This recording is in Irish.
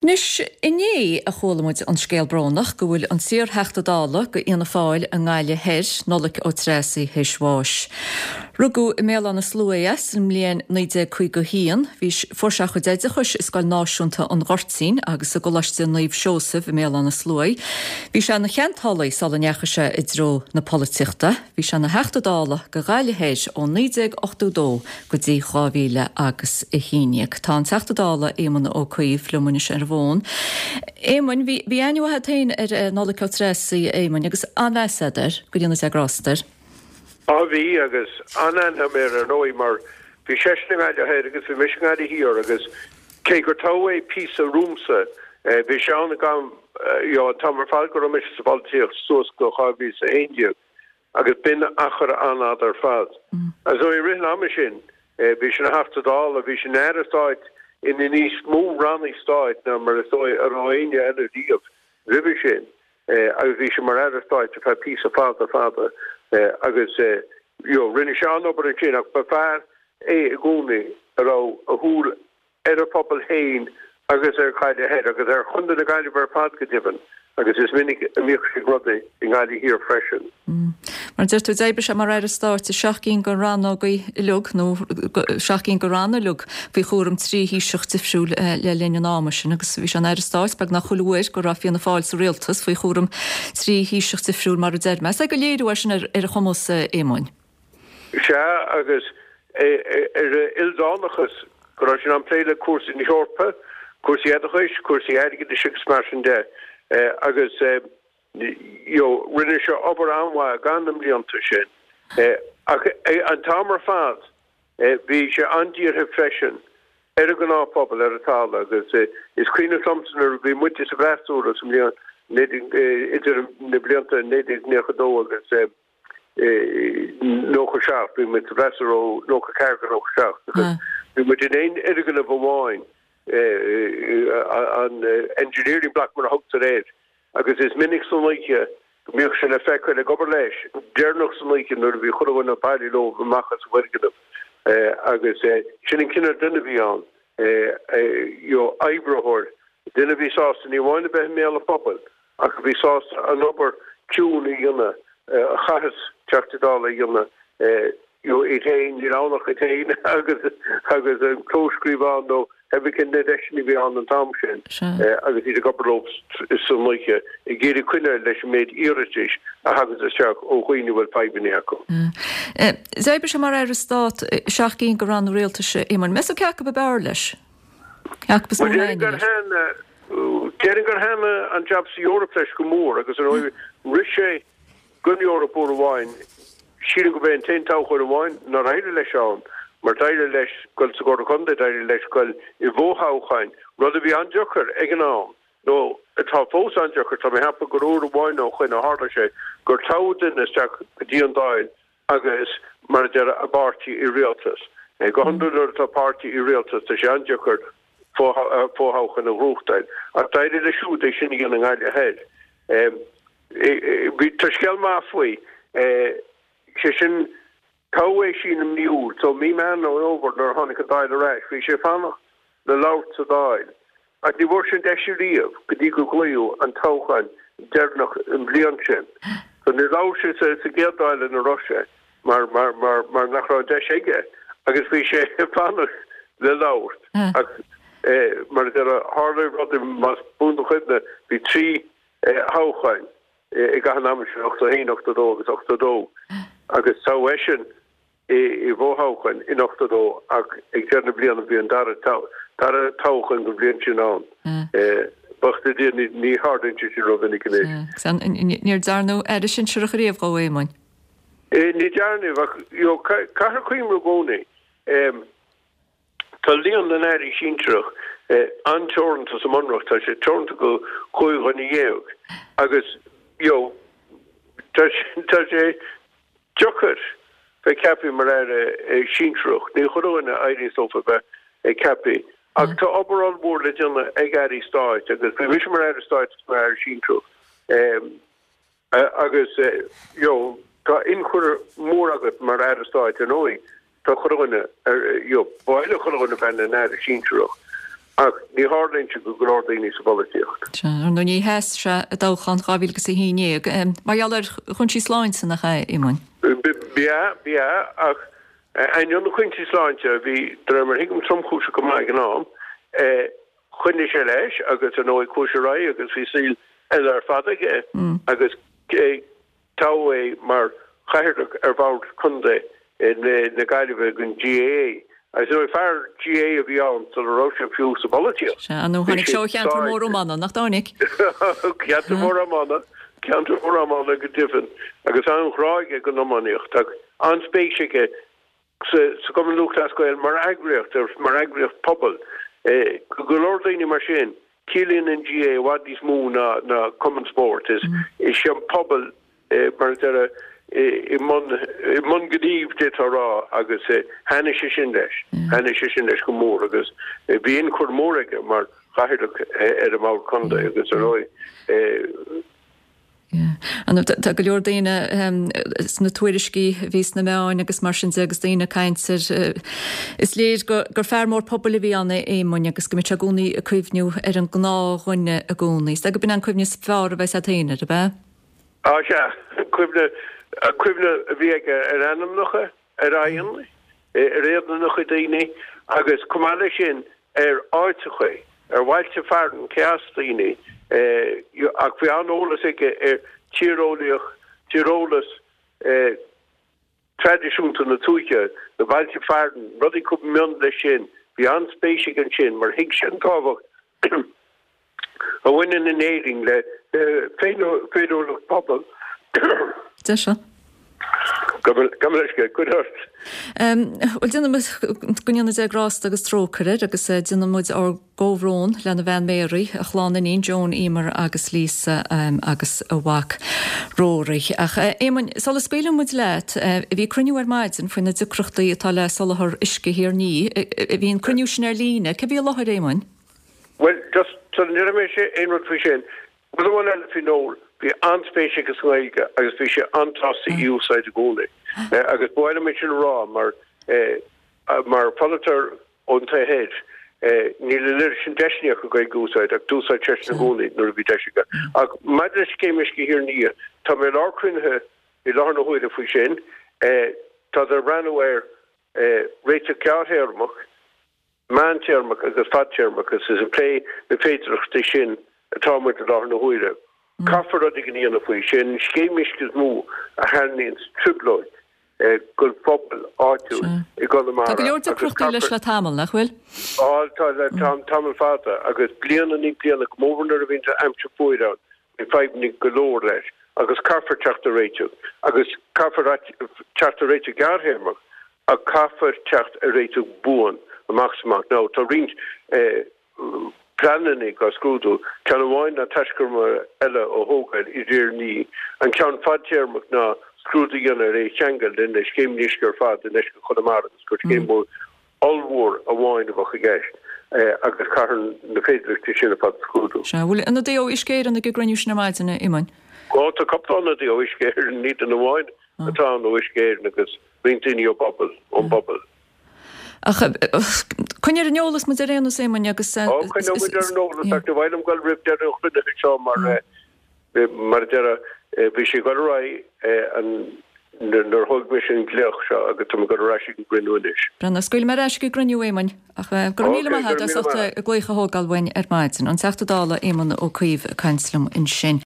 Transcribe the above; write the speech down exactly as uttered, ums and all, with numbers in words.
Anois, inné a chuala muid an scéal brónach go bhfuil an t-iar-Theachta Dála go Fhianna Fáil i nGaillimh Thoir, Nollaig Ó Treasaigh, théis bháis. Rugadh i mBéal Átha na Sluaighe é sa mbliain naoi déag caoga a haon. Bhí fuair sé a chuid oideachais i Scoil Náisiúnta an Ghoirtín agus i gColáiste Naomh Seosamh i mBéal Átha na Sluaighe. Bhí sé ina cheantálaí sula ndeachaigh sé i dtreo na polaitíochta. Bhí sé ina Theachta Dála go Gaillimh Thoir ó naoi déag ochtó dó go dtí dhá mhíle agus a haon déag. Tá an Teachta Dála Éamon Ó Cuív liom anois ar an bhfón. Éamoin, bhí bhí aithne mhaith agat féin ar Nollaig Ó Treasaigh, a Éamoin, agus an-mheas agat air, go ndéana Dia grásta air. Á bhí, agus an-aithne agam air ar ndóigh mar bhí seisean i nGaillimh Thoir agus bhí mise i nGaillimh Thiar agus cé gur toghadh é píosa romhamsa, bhí sé ann ag am, you know, an t-am ar fad go raibh mise sa bpolaitíocht suas go dhá mhíle is a haon déag. Agus b'in achar an-fhada ar fad. Agus i rith an ama sin, bhí sé ina Theachta Dála, bhí sé ina Aire Stáit in níos mó rannaí stáit ná mar is dóigh a raibh éinne eile riamh roimhe sin. Agus bhí sé mar Aire Stáit ar feadh píosa fada fada agus you know rinne sé an-obair ansin ach ba fear é i gcónaí a raibh a shúil ar a phobal féin agus ar Ghaillimh Thoir agus ar Chontae na Gaillimhe ar fad go deimhin, agus is minic a mbíodh sé ag rudaí i nGaillimh Thiar freisin. Mar a deir tú, d'oibrigh sé mar Aire Stáit i seacht gcinn de rannógaí uilig, nó seacht gcinn de ranna uilig, faoi chúram trí Thaoiseach difriúil le linn an ama sin, agus bhí sé ina Aire Stáit beagnach chuile uair go raibh Fianna Fáil sa rialtas, faoi chúram trí Thaoiseach difriúil mar a deir mé. Is é gur léiriú é sin ar a chumas, a Éamoin. Sea, agus ar a ildánachas, go raibh sé in ann plé le cúrsaí na hEorpa, cúrsaí oideachais, cúrsaí airgeadais agus mar sin de. Agus you know rinne sé obair an-mhaith i gcaitheamh na mblianta sin. Ach an t-am ar fad bhí sé an-dírithe freisin ar an ngnáthphobal, ar an talamh agus is cuimhneach liomsa nuair a bhí muide sa bhfreasúra sa mbliain idir na blianta naoi déag nócha dó agus nócha seacht, bhí muid sa bhfreasúra ó nócha ceathair go nócha seacht agus bhí muid in aon fhoirgneamh amháin, an engineering block mar a thugtar air, agus is minic san oíche go mbíodh sé le feiceáil ag obair leis deireanach san oíche nuair a bhí chuile dhuine ag bailiú leo amach as an bhfoirgneamh agus sin an cineál duine a bhí ann, you know, oibritheoir, duine a bhí sásta ní amháin a bheith i mbéal an phobail ach a bhí sásta an obair ciúin a dhéanamh a chaitheas Teachtaí Dála a dhéanamh, you know, iad féin, níl ann ach iad féin agus agus an clóscríobhán nó pé cén na deiseanna a bhí ann an t-am sin agus iad ag obair leo san oíche ag iarraidh coinneáil leis an méid iarratais a thaganns isteach ó dhaoine a bhfuil fadhbanna acu. D'oibrigh sé mar Aire Stáit i seacht gcinn de ranna rialtais, a Éamoin. Meas tú cé acu ab fhearr leis? Cé acu is mó a thaitnigh leis? Déarfainn gur thaitin an jab sa Eoraip leis go mór agus ar ndóigh rith sé don Eoraip uair amháin, sílim gurb é an t-aon toghchán amháin nár éirigh leis ann, mar d'éirigh leis dul sa gComhairle Contae, d'éirigh leis dul i bhfothoghcháin, rud a bhí an-deacair ag an am, nó atá fós an-deacair, tá mé ag ceapadh gur uair amháin ó shoin a tharla sé gur toghadh duine isteach go dtí an Dáil agus, mar a deir, a bpáirtí i rialtas. Go hiondúil nuair atá páirtí i rialtas tá sé an-deacair fothoghchán a ghnóthachtáil. Ach d'éirigh leis siúd é sin a dhéanamh i nGaillimh Thoir. Bhí, tá scéal maith faoi. Sé sin, toghadh é sin i mí Iúil, so mí Meán Fhómhair nuair a tháinig an Dáil ar ais, bhí sé ag fanacht le labhairt sa Dáil. Ach ní bhfuair sé an deis riamh go dtí go glaodh an toghchán deireanach an bhliain sin. So níor labhair sé sa gcéad Dáil ina raibh sé mar mar mar mar nach raibh an deis aige agus bhí sé ag fanacht le labhairt. Ach mar a déarfá, tharla rudaí, más buan do chuimhne, bhí trí thoghchán i gcaitheamh an ama sin, ochtó a haon, ochtó a dó agus ochtó a dó agus toghadh eisean i bhfothoghchán in ochtó dó ach ag deireadh na bliana bhí an dara dara toghchán den bhliain sin ann. Buíochas le Dia ní tharlaíonn sé sin rómhinic anois. Níor dearnadh aire sinsearach riamh dhó, a Éamoin. Ní dearnadh ach you know caithfear cuimhniú i gcónaí. Tá líon na n-airí sinsearach an-teoranta sa mBunreacht, tá sé teoranta go cúig dhuine dhéag agus you know tá tá sé deacair bheith ceaptha mar aire sinsearach. Ní chuile dhuine a éiríonns leofa bheith ceaptha. Ach tá obair ollmhór le déanamh ag airí stáit agus bhí mise mar aire stáit agus mar aire sinsearach agus you know tá ionchur mór agat mar aire stáit ar ndóigh. Tá chuile dhuine, you know, ba mhaith le chuile dhuine bheith ina n-aire sinsearach. Ach ní tharlaíonn sé go go leor daoine sa bpolaitíocht. Sea, ar ndóigh ní sheas sé i dtoghchán dhá mhíle agus a haon déag, mar gheall ar chúinsí sláinte, nach ea, a Éamoinn? B'ea, b'ea, ach ainneoin na cúinsí sláinte, a bhí, de réir mar a thuigim, tromchúiseach go maith ag an am, choinnigh sé leis agus ar ndóigh chuaigh sé ar aghaidh agus bhí saol eile ar fad aige agus toghadh é mar chathaoirleach ar bhord contae na Gaillimhe den GAA. Agus ar ndóigh fear GAA a bhí ann sula raibh sé fiú sa bpolaitíocht. Sea, nó tháinig sé ó cheantar mór iomána, nach dtáinig? Ceantar mór iomána, ceantar mór iomána go deimhin, agus an-ghrá aige don iománaíocht. Ach an-spéis aige sa Chumann Lúthchleas Gael mar eagraíocht, mar eagraíocht pobail. Go leor daoine mar sin, ciallaíonn an GAA i bhfad níos mó ná cumann spóirt. Is é an pobal, mar a déarfá, i mbun gnímh, d'fhéadfá a rá, agus thaitnigh sé sin leis. Thaitnigh sé sin leis go mór agus bhí ionchur mór aige mar chathaoirleach ar an mBord Contae agus ar ndóigh, Tá go leor daoine sna tuairiscí a bhí sna meáin agus mar sin de agus daoine ag caint air. Is léir gur fear mór pobail a bhí ann, a Éamoinn, agus go mbeidh sé i gcónaí ag cuimhniú ar an ngnáthdhuine i gcónaí. Is dóigh gurb in an cuimhne is fearr a bheas agat féin air, ab ea? Á sea, cuimhne, cuimhne a bhí aige ar ainmneacha, ar aghaidheanna, ar éadanacha daoine agus chomh maith leis sin ar áiteacha, ar bhailte fearainn, cé as daoine, ach bhí an-eolas aige ar tíreolaíocht, tíreolas traidisiúnta na tuaithe, na bailte fearainn, rudaí chomh mion leis sin. Bhí an-spéis aige ansin mar thuig sé an tábhacht a bhaineann in Éirinn le féiniúlacht pobail. Deis seo. Gabh mo leithscéal, cuir ort. Bhuel, déanann muid, go ndéana Dia grásta agus trócaire air agus déanann muid ár gcomhbhrón lena bhean Mary, a chlann iníon Joan, Emer agus Lisa agus a mhac Rory. Ach Éamoinn, sula scaoileann muid leat, bhí cruinniú ar maidin faoi na deacrachtaí atá le soláthar uisce Thír an Fhia. Bhí an cruinniú sin ar líne. Cé bhí i láthair, Éamoinn? Bhuel, just sula ndéarfaidh mise aon rud faoi sin, rud amháin eile faoi Noel, bhí an-spéis aige sa nGaeilge agus bhí sé an-sásta í a úsáid i gcónaí. Agus ba mhaith liom é sin a rá mar, mar pholaiteoir ón taobh thoir, níl an oiread sin deiseanna acu Gaeilge a úsáid ach d'úsáid seisean i gcónaí nuair a bhí deis aige. Ach maidir le Scéim Uisce Thír an Fhia, tá mé i lár cruinnithe i láthair na huaire faoi sin. Táthar ag breathnú ar réiteach gearrthéarmach, meántéarmach agus fadtéarmach agus is ag plé na féidearthachtaí sin atá muid i láthair na huaire. Caithfear rud éigin a dhéanamh faoi. Sé an scéim uisce is mó a tharraingíonns trioblóid don phobal áitiúil i Tá gConamara go leor agus deacrachtaí leis caithfear. le tamall, nach bhfuil? Á, tá le tamall fada agus bliain i ndiaidh bliana, go mór mhór nuair a bhíonn aimsir fuar ann, bíonn fadhbanna go leor leis agus caithfear teacht ar réiteach agus caithfear teacht ar réiteach gearrthéarmach Ach caithfear teacht ar réiteach buan amach is amach. Now, tá roinnt pleananna á scrúdú, ceann amháin ná taiscumar eile a thógáil i dTír an Fhia. An ceann fadtéarmach ná scrúdú a dhéanamh ar é a cheangal le na scéimeanna uisce ar fad i ndeisceart Chonamara agus gur scéim mhór ollmhór amháin a bheadh i gceist agus caithfear na féidearthachtaí sin ar fad a scrúdú. Sea, bhfuil ionadaí ó Uisce Éireann ag an gcruinniú sin ar maidin, a Éamoinn? Ó, tá cúpla ionadaí ó Uisce Éireann, ní duine amháin atá ann ó Uisce Éireann agus roinnt daoine ó bpobal, ón bpobal. Ach coinnigh ar an eolas muid ar aon nós, Éamoinn, agus. Ó, coinneoidh muid ar an eolas ach ní mhaith liom dul roimh deireadh an chruinnithe seo mar, mar a déarfá, bhí sé ag dul ar aghaidh an, nuair a thóg mise an glaoch seo agus tá mé ag dul ar ais ag an gcruinniú anois. Breathnaigh, scaoilfidh mé ar ais ag an gcruinniú, Éamoinn, ach go raibh Ok, míle maith go agat raibh as míle ucht maith. glaoch a thógáil uainn ar maidin. An Teachta Dála Éamon Ó Cuív ag caint liom ansin.